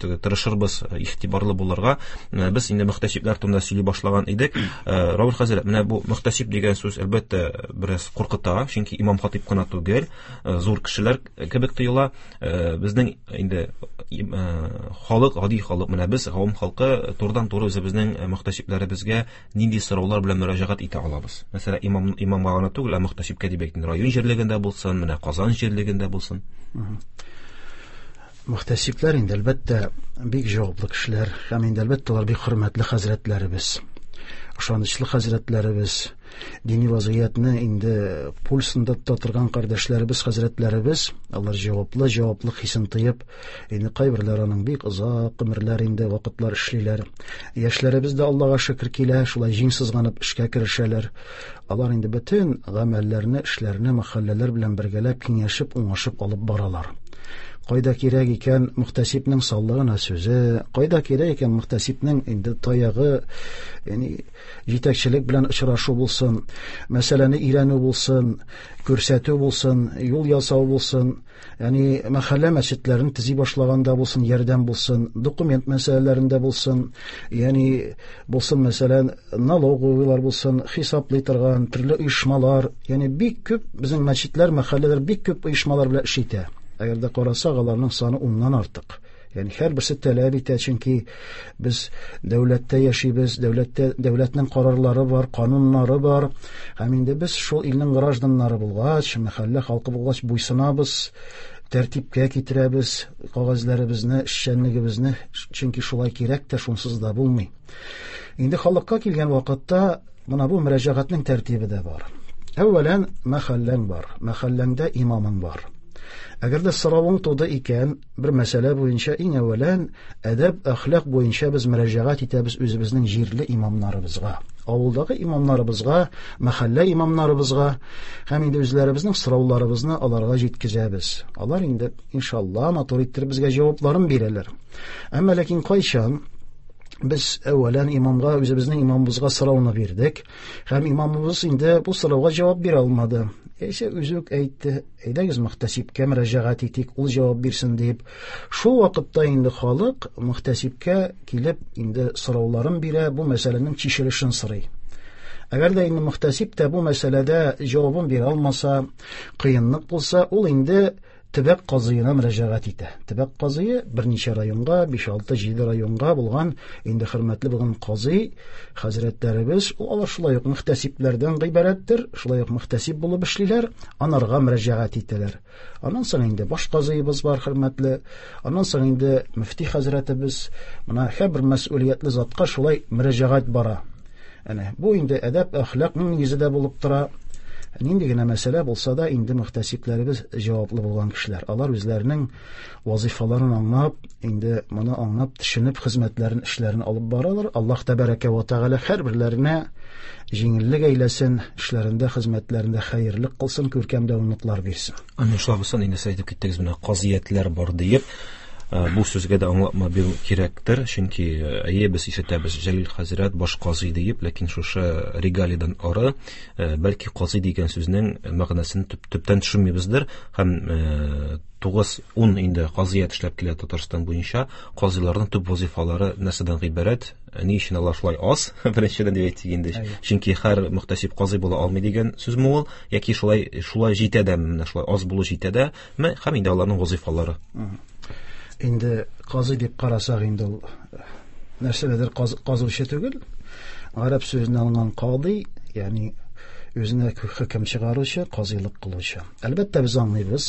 Speaker 4: тырышырбыз игътибарлы булырга. Без инде мөхтәсибләр турында сөйли башлаган идек. Равил хәзрәт, менә бу мөхтәсиб дигән сүз әлбәттә бераз куркыта, чөнки имам хатип кына түгел, зур кешеләр кебек тоела. Безнең инде халык, гади халык, менә без гавам халкы турыдан-туры үзебезнең мөхтәсибләребезгә нинди сораулар белән мөрәҗәгать итә алабыз? Мәсәлән, имамга гына түгел, ә мөхтәсибкә дип әйтин, район җирлегендә булсын, менә Казан җирлегендә булсын.
Speaker 7: Мөхтәсибләр инде әлбәттә бик җаваплы кешеләр һәм инде әлбәттә алар бик хөрмәтле хәзрәтләребез, ышанычлы хәзрәтләребез, дини вазгыятьне инде пульсында тота торган кардәшләребез, хәзрәтләребез, алар җаваплы, җаваплылык хисен тоеп, инде кайберләр аның бик озак гомерләр инде вакытлар эшлиләр. Яшьләребез дә Аллага шөкер килә, шулай җиң сызганып эшкә керешәләр. Алар инде бөтен гамәлләрне, эшләрне мәхәлләләр белән бергәләп киңәшеп, уңышып алып баралар. Кайда кирәк икән мөхтәсибнең саллы гына сүзе, кайда кирәк икән мөхтәсибнең инде таягы, ягъни җитәкчелек белән очрашу булсын, мәсьәләне өйрәнү булсын, күрсәтү булсын, юл ясау булсын, ягъни мәхәллә мәчетләрен төзи башлаганда булсын, ярдәм булсын, документ мәсьәләләрендә булсын, ягъни булсын, мәсәлән, налоговыйлар булсын, хисаплый торган төрле оешмалар, ягъни бик күп безнең мәчетләр, мәхәлләләр бик күп оешмалар белән эш итә. Әгәр дә карасак, аларның саны 10-нан артык. Ягъни һәрберсе таләп итә, чөнки без дәүләттә яшибез, дәүләтнең карарлары бар, кануннары бар. Һәм инде без шул илнең гражданнары булгач, мәхәллә халкы булгач, буйсынабыз, тәртипкә китерәбез кәгазьләребезне, эшчәнлегебезне, чөнки шулай кирәк тә, шунсыз да булмый. Инде халыкка килгән вакытта менә бу мөрәҗәгатьнең тәртибе дә бар. Әүвәлән мәхәлләң бар, мәхәлләңдә имамың бар. Әгәр дә соравың туды икән, бер мәсьәлә буенча иң әүвәлән әдәп, әхлак буенча без мөрәҗәгать итәбез үзебезнең җирле имамнарыбызга, авылдагы имамнарыбызга, мәхәллә имамнарыбызга һәм инде үзләребезнең сорауларыбызны аларга җиткезәбез. Алар инде иншалла матур иттереп безгә җавапларын бирәләр. Әмма ләкин кайчан без әүвәлән имамга, үзебезнең имамыбызга сорауны бирдек һәм имамыбыз инде бу сорауга җавап бирә алмады. Яисә үзе үк әйтте, әйдәгез мөхтәсибкә мөрәҗәгать итик, ул җавап бирсен дип. Шул вакытта инде халык мөхтәсибкә килеп инде сорауларын бирә, бу мәсьәләнең чишелешен сорый. Әгәр дә инде мөхтәсиб тә бу мәсьәләдә җавабын бирә алмаса, кыенлык булса, ул инде төбәк казыена мөрәҗәгать итә. Төбәк казые берничә районга, 5, 6, 7 районга булган инде хөрмәтле булган казый хәзрәтләребез, алар шулай ук мөхтәсибләрдән гыйбарәттер, шулай ук мөхтәсиб булып эшлиләр, анарга мөрәҗәгать итәләр. Аннан соң инде баш казыебыз бар хөрмәтле, аннан соң инде мөфти хәзрәтебез, менә һәрбер мәсьүлиятле затка шулай мөрәҗәгать бара. Әнә бу инде әдәп, әхлакның нигезе дә булып тора. Нинди генә мәсьәлә булса да, инде мөхтәсибләребез җаваплы булган кешеләр. Алар үзләренең вазифаларын аңлап, инде моны аңлап, төшенеп хезмәтләрен, эшләрен алып баралар. Аллаһ тәбәрәкә ва тәгалә һәрберләренә җиңеллек әйләсен, эшләрендә, хезмәтләрендә хәерлек кылсын, күркәм дәвамлыклар бирсен.
Speaker 4: Амин. Шулай булсын, инде сез әйтеп киттегез менә казыятлар бар диеп. Бу сүзгә дә аңлатма бирү кирәктер, чөнки әйе, без ишетәбез Җәлил хәзрәт баш казый диеп, ләкин шушы регалидан ары, бәлки казый дигән сүзнең мәгънәсен төптән төшенмибездер һәм 9-10 инде казыят эшләп килә Татарстан буенча. Казыйларның төп вазифалары нәрсәдән гыйбарәт? Ни өчен алар шулай аз? Беренчедән дип әйтик инде. Чөнки һәр мөхтәсиб казый була алмый дигән сүзме ул? Яки шулай җитә дә, менә шулай аз булу җитә дә? Һәм инде аларның вазифалары.
Speaker 7: Инде казый дип карасак, инде ул нәрсәдер казучы түгел. Гарәп сүзеннән алынган кадый, ягъни үзенә хөкем чыгаручы, казыйлык кылучы. Әлбәттә, без аңлыйбыз.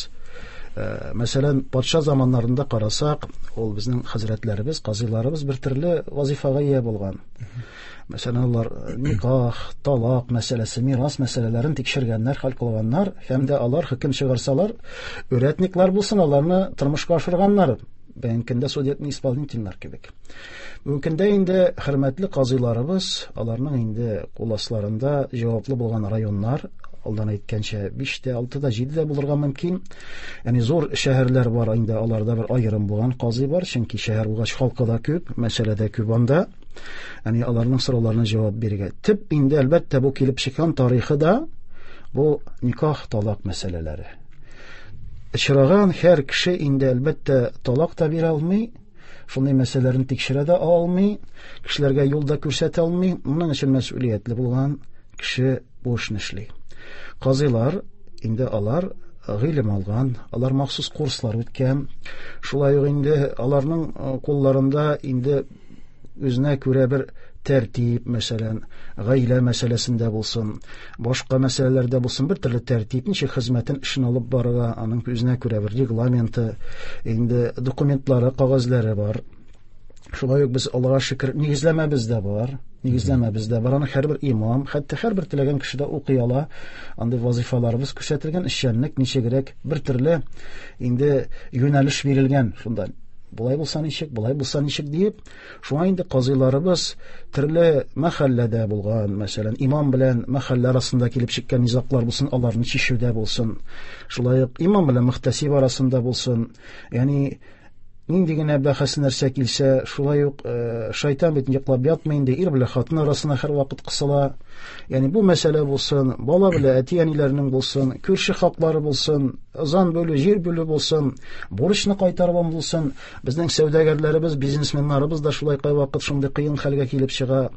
Speaker 7: Мәсәлән, патша заманнарында карасак, ул безнең хәзрәтләребез, казыйларыбыз бер төрле вазифага ия булган. Мәсәлән, алар никах, талак мәсьәләсе, мирас мәсьәләләрен тикшергәннәр, хәл кылганнар, һәм дә алар хөкем чыгарсалар, үрәтниклар булсын, аларны тормышка ашырганнар. Бүгенге көндә судебный исполнительләр кебек. Бүгенге көндә инде хөрмәтле казыйларыбыз, аларның инде кул асларында җаваплы булган районнар, алдан әйткәнчә, 5 тә, 6 да, 7 дә булырга мөмкин. Ягъни зур шәһәрләр бар, инде аларда бер аерым булган казый бар, чөнки шәһәр булгач халкы да күп, мәсьәлә дә күп анда. Ягъни аларның сорауларына җавап бирергә. Төп инде әлбәттә бу килеп чыккан тарихы да бу никах, талак мәсьәләләре. Очраган һәр кеше инде әлбәттә талак та бирә алмый, шундый мәсьәләләрне тикшерә дә алмый, кешеләргә юл да күрсәтә алмый. Моның өчен мәсьүлиятле булган кеше бу эшне эшли. Казыйлар инде алар гыйлем алган, алар махсус курслар үткән. Шулай ук инде аларның кулларында инде үзенә күрә бер тәртип, мәсәлән, гаилә мәсьәләсендә булсын, башка мәсьәләләрдә булсын, бер төрле тәртип, ничек хезмәтен, эшен алып барырга, аның үзенә күрә бер регламенты, инде документлары, кәгазьләре бар. Шулай ук без, Аллага шөкер, нигезләмәбез дә бар. Нигезләмәбез дә бар. Аны һәрбер имам, хәтта һәрбер теләгән кеше дә укый ала. Андый вазифаларыбыз күрсәтелгән, эшчәнлек ничегрәк, бер төрле инде юнәлеш бирелгән шунда. Болай булса ничек, болай булса ничек диеп, шуңа инде казыйларыбыз төрле мәхәлләдә булган, мәсәлән, имам белән мәхәллә арасында килеп чыккан низаглар булсын, аларны чишүдә булсын, шулай ук имам белән мөхтәсиб арасында булсын, ягъни нинди генә бәхәс нәрсә килсә, шулай ук шайтан бит йоклап ятмый инде, ир белән хатын арасына һәрвакыт кысыла. Ягъни бу мәсьәлә булсын, бала белән әти-әниләрнең булсын, күрше хаклары булсын, ызан бүлү, җир бүлү булсын, бурычны кайтару булсын. Безнең сәүдәгәрләребез, бизнесменнарыбыз да шулай кайвакыт шундый кыен хәлгә килеп чыга.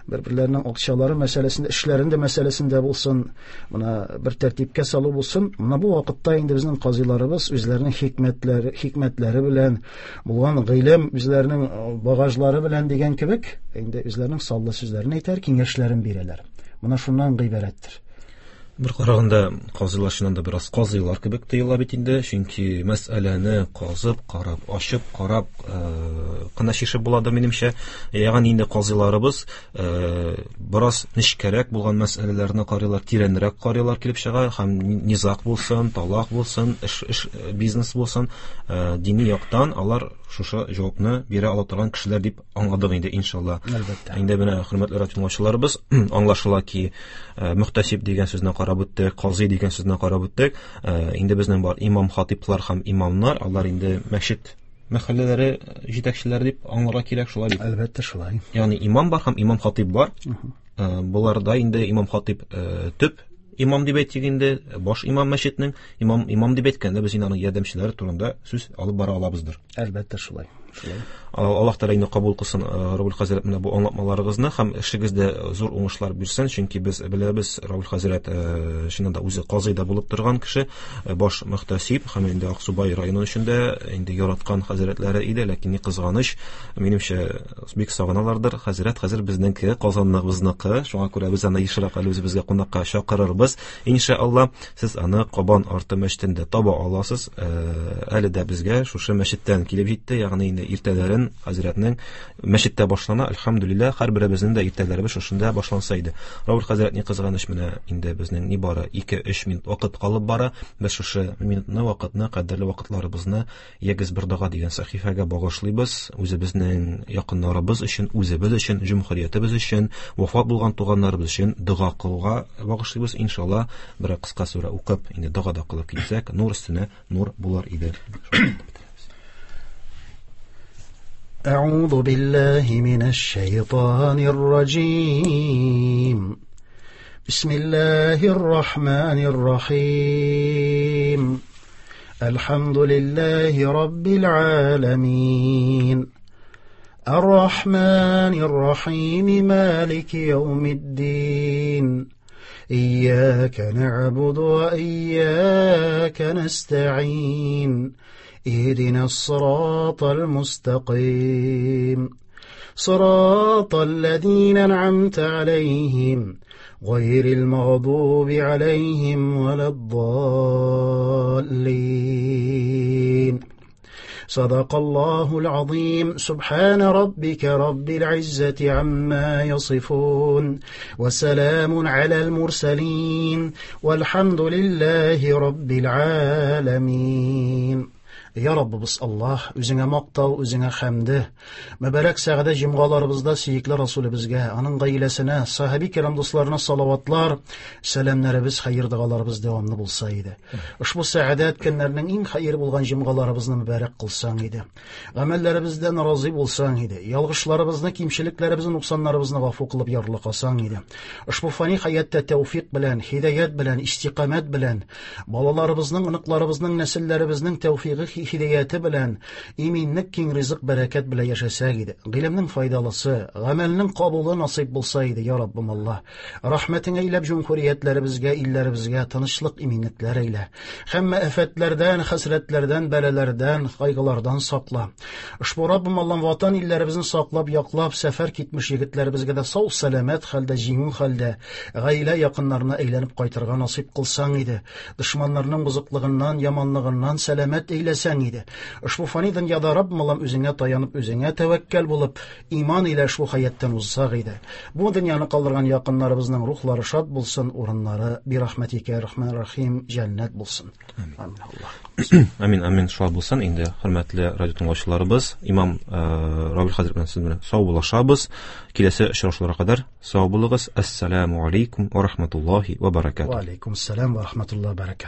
Speaker 7: Бер-берләренең акчалары мәсьәләсендә, эшләрендә мәсьәләсендә булсын, менә бер тәртипкә салу булсын. Менә бу вакытта инде безнең казыйларыбыз үзләренең хикмәтләре белән, булган гыйлем, үзләренең багажлары белән дигән кебек, инде үзләренең саллы сүзләрен әйтәр, киңәшләрен бирәләр. Менә шуннан гыйбарәттер.
Speaker 4: Бер караганда казыйлар чыннан да бераз казыйлар кебек тоела бит инде, чөнки мәсьәләне казып, карап, ачып, карап кына чишеп буладыр минемчә. Ягъни инде казыйларыбыз бераз нечкәрәк булган мәсьәләләрне карыйлар, тирәнрәк карыйлар килеп чыга, һәм низаг булсын, талак булсын, эш, бизнес булсын, дини яктан алар шушы җавапны бирә ала торган кешеләр дип аңладык инде, иншалла.
Speaker 7: Әлбәттә.
Speaker 4: Инде менә хөрмәтле радиотыңлаучыларыбыз, аңлашыла ки, мөхтәсиб дигән сүзне карап үттек, казый дигән сүзне карап үттек. Инде безнең бар имам хатиплар һәм имамнар, алар инде мәчет мәхәлләләре җитәкчеләре дип аңларга кирәк, шулай бит?
Speaker 7: Әлбәттә, шулай.
Speaker 4: Ягъни имам бар һәм имам хатип бар. Буларда инде имам хатип төп имам дип әйтик инде, баш имам мәчетнең, имам дип әйткәндә без инде аның ярдәмчеләре турында сүз алып бара алабыздыр.
Speaker 7: Әлбәттә, шулай. Шулай.
Speaker 4: Аллаһ Тәгалә инде кабул кылсын, Равил хәзрәт, менә бу аңлатмаларыгызны һәм эшегездә зур уңышлар бирсен, чөнки без беләбез, Равил хәзрәт чыннан да үзе казый да булып торган кеше, баш мөхтәсиб һәм инде Аксубай районы эчендә инде яраткан хәзрәтләре иде, ләкин ни кызганыч, минемчә, бик сагыналардыр. Хәзрәт хәзер безнеңке, Казанныкы, шуңа күрә без аны ешрак әле үзебезгә кунакка чакырырбыз. Иншалла, сез аны Кабан арты мәчетендә таба аласыз. Әле дә безгә шушы мәчеттән килеп җитте, ягъни инде Инде иртәләрен хәзрәтнең мәчеттә башлана. Әлхәмдүлилләһ, һәрберебезнең дә иртәләребез шушында башланса иде. Равил хәзрәт, ни кызганыч, менә инде безнең нибары 2-3 минут вакыт калып бара. Без шушы минутны, вакытны, кадерле вакытларыбызны Ягез бер дога дигән сәхифәгә багышлыйбыз. Үзебезнең якыннарыбыз өчен, үзебез өчен, җөмһүриятебез өчен, вафат булган туганнарыбыз өчен дога кылуга багышлыйбыз. Иншалла, бер кыска сүрә укып, инде дога да кылып китсәк, нур өстенә нур булыр иде.
Speaker 7: أعوذ بالله من الشيطان الرجيم بسم الله الرحمن الرحيم الحمد لله رب العالمين الرحمن الرحيم مالك يوم الدين إياك نعبد وإياك نستعين اهدنا الصراط المستقيم صراط الذين أنعمت عليهم غير المغضوب عليهم ولا الضالين صدق الله العظيم سبحان ربك رب العزة عما يصفون وسلام على المرسلين والحمد لله رب العالمين Я Раббыбыз Аллаһ, үзеңә мактау, үзеңә хәмде. Мөбарәк сәгадә җомгаларыбызда сөекле Расулебезгә, аның гаиләсенә, сахаби кирам дусларына салаватлар, сәламнәребез, хәер догаларыбыз дәвамлы булса иде. Ошбу сәгадәт көннәрнең иң хәер булган җомгаларыбызны мөбарәк кылсаң иде. Гамәлләребездән разый булсаң иде. Ялгышларыбызны, кимчелекләребезне, нуксаннарыбызны гафу кылып ярлыкасаң иде. Ошбу фани хәятта тәүфик белән, һидаят белән, истикамәт белән, балаларыбызның, оныкларыбызның, нәселләребезнең тәүфигы һидаяте белән иминлек, киң ризык, бәрәкәт белән яшәсәк иде. Гыйлемнең файдалысы, гамәлнең кабулы насыйп булса иде, я Раббым Аллаһ. Рәхмәтеңә әйләп җөмһүриятләребезгә, илләребезгә тынычлык, иминлекләр әйлә. Һәммә афәтләрдән, хәсрәтләрдән, бәлаләрдән, кайгылардан сакла. Ошбу Раббым Аллаһ ватан илләребезне саклап, яклап, сәфәр китмеш егетләребезгә дә сау сәламәт хәлдә, җиңү хәлдә, гаилә якыннарына әйләнеп кайтырга насыйп кылсаң иде. Дошманнарның бозыклыгыннан, яманлыгыннан сәламәт әйләсәң иде. Ошбу фани дөньяда Раббым Аллаһ үзеңә таянып, үзеңә тәвәккәл булып, иман илә ошбу хәяттан узсак иде. Бу дөньяны калдырган якыннарыбызның рухлары шат булсын, урыннары бирахмәтикә рахман рахим җәннәт булсын. Амин. Аллаһ.
Speaker 4: Амин, амин, шулай булсын. Инде хөрмәтле радио тыңлаучыларыбыз, имам Равил хәзрәт белән сез белән сау булашабыз. Киләсе очрашуларга кадәр сау булыгыз. Ассаламу алейкум ва рахматуллахи ва баракатуһ.
Speaker 7: Ва алейкум ассалам ва рахматуллахи ва баракатуһ.